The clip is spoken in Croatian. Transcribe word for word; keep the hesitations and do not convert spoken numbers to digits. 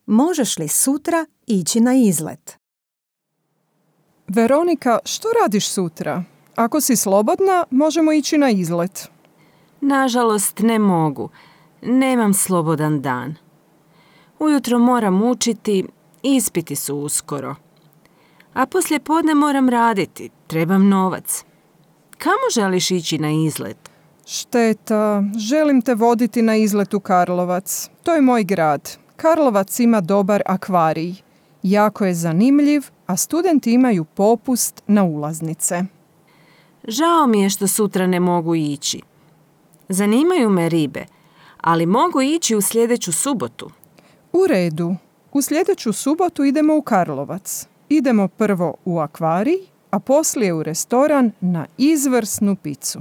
možeš li sutra ići na izlet? Veronika, što radiš sutra? Ako si slobodna, možemo ići na izlet. Nažalost, ne mogu. Nemam slobodan dan. Ujutro moram učiti, ispiti su uskoro. A poslije podne moram raditi, trebam novac. Kamo želiš ići na izlet? Šteta, želim te voditi na izlet u Karlovac. To je moj grad. Karlovac ima dobar akvarij. Jako je zanimljiv, a studenti imaju popust na ulaznice. Žao mi je što sutra ne mogu ići. Zanimaju me ribe, ali mogu ići u sljedeću subotu. U redu. U sljedeću subotu idemo u Karlovac. Idemo prvo u akvarij, a poslije u restoran na izvrsnu picu.